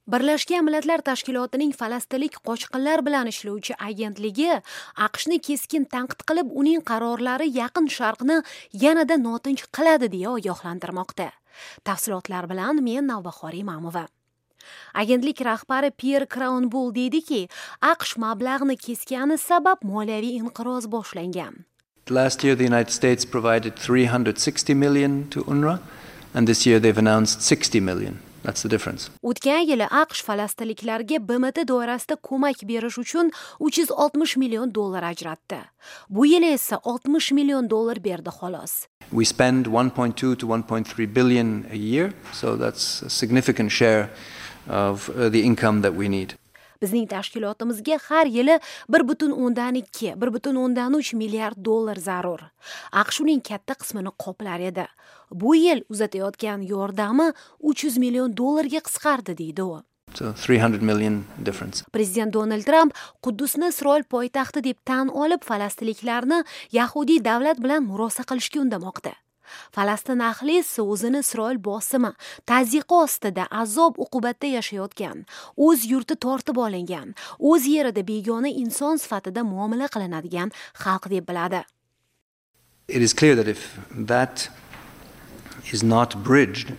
Birlashgan Millatlar Tashkilotining falastinlik qochqinlar bilan ishlovchi agentligi AQShni keskin tanqid qilib, uning qarorlari Yaqin Sharqni yanada notinch qiladi deya ogohlantirmoqda. Tafsilotlar bilan men, Navbahor Imamova. Agentlik rahbari Pyer Kraunbul deydiki, AQSh mablag'ni keskani sabab moliyaviy inqiroz boshlangan. Last year the United States provided 360 million to UNRWA, and this year they've announced 60 million. That's the difference. O'tgan yili AQSh falastinliklarga BMT doirasida ko'mak berish uchun 360 million dollar ajratdi. Bu yil esa 60 million dollar berdi, xolos. We spend 1.2 to 1.3 billion a year, so that's a significant share of the income that we need. Bizning tashkilotimizga har yili 1,2, 1,3 milliard dollar zarur. AQSh uning katta qismini qoplar edi. Bu yil uzatayotgan yordami 300 million dollarga qisqardi, deydi u. So 300 million difference. Prezident Donald Tramp Quddusni Isroil poytaxti deb tan olib, falastinliklarni yahudiy davlat bilan murosa qilishga undamoqda. Falastin ahli esa o'zini Isroil bosimi, tazyiqi ostida azob uqubatda yashayotgan, o'z yurti tortib olingan, o'z yerida begona inson sifatida muomala qilinadigan xalq deb biladi. It is clear that if that is not bridged,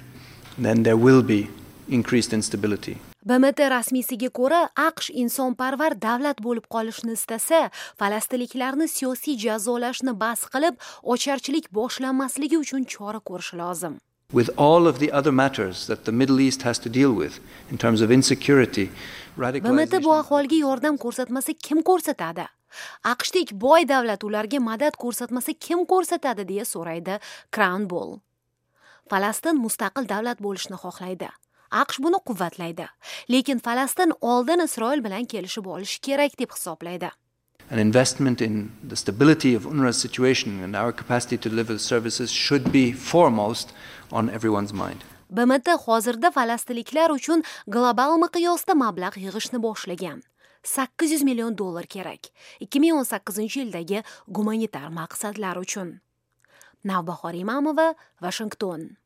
then there will be increased instability. BMT rasmiysiga ko'ra, AQSh insonparvar davlat bo'lib qolishni istasa, falastinliklarni siyosiy jazolashni bas qilib, ocharchilik boshlanmasligi uchun chora ko'rishi lozim. With all of the other matters that the Middle East has to deal with in terms of insecurity, BMT bu ahvolga yordam ko'rsatmasa, kim ko'rsatadi? AQShdek boy davlat ularga madad ko'rsatmasa, kim ko'rsatadi, deya so'raydi Kraunbol. Falastin mustaqil davlat bo'lishni xohlaydi. AQSh buni quvvatlaydi. Lekin Falastin oldin Isroil bilan kelishib olishi kerak deb hisoblaydi. An investment in the stability of UNRWA's situation and our capacity to deliver the services should be foremost on everyone's mind. BMT hozirda falastinliklar uchun global miqyosda mablag' yig'ishni boshlagan. 800 million dollar kerak 2018 yildagi gumanitar maqsadlar uchun. Navbahor Imamova, Vashington.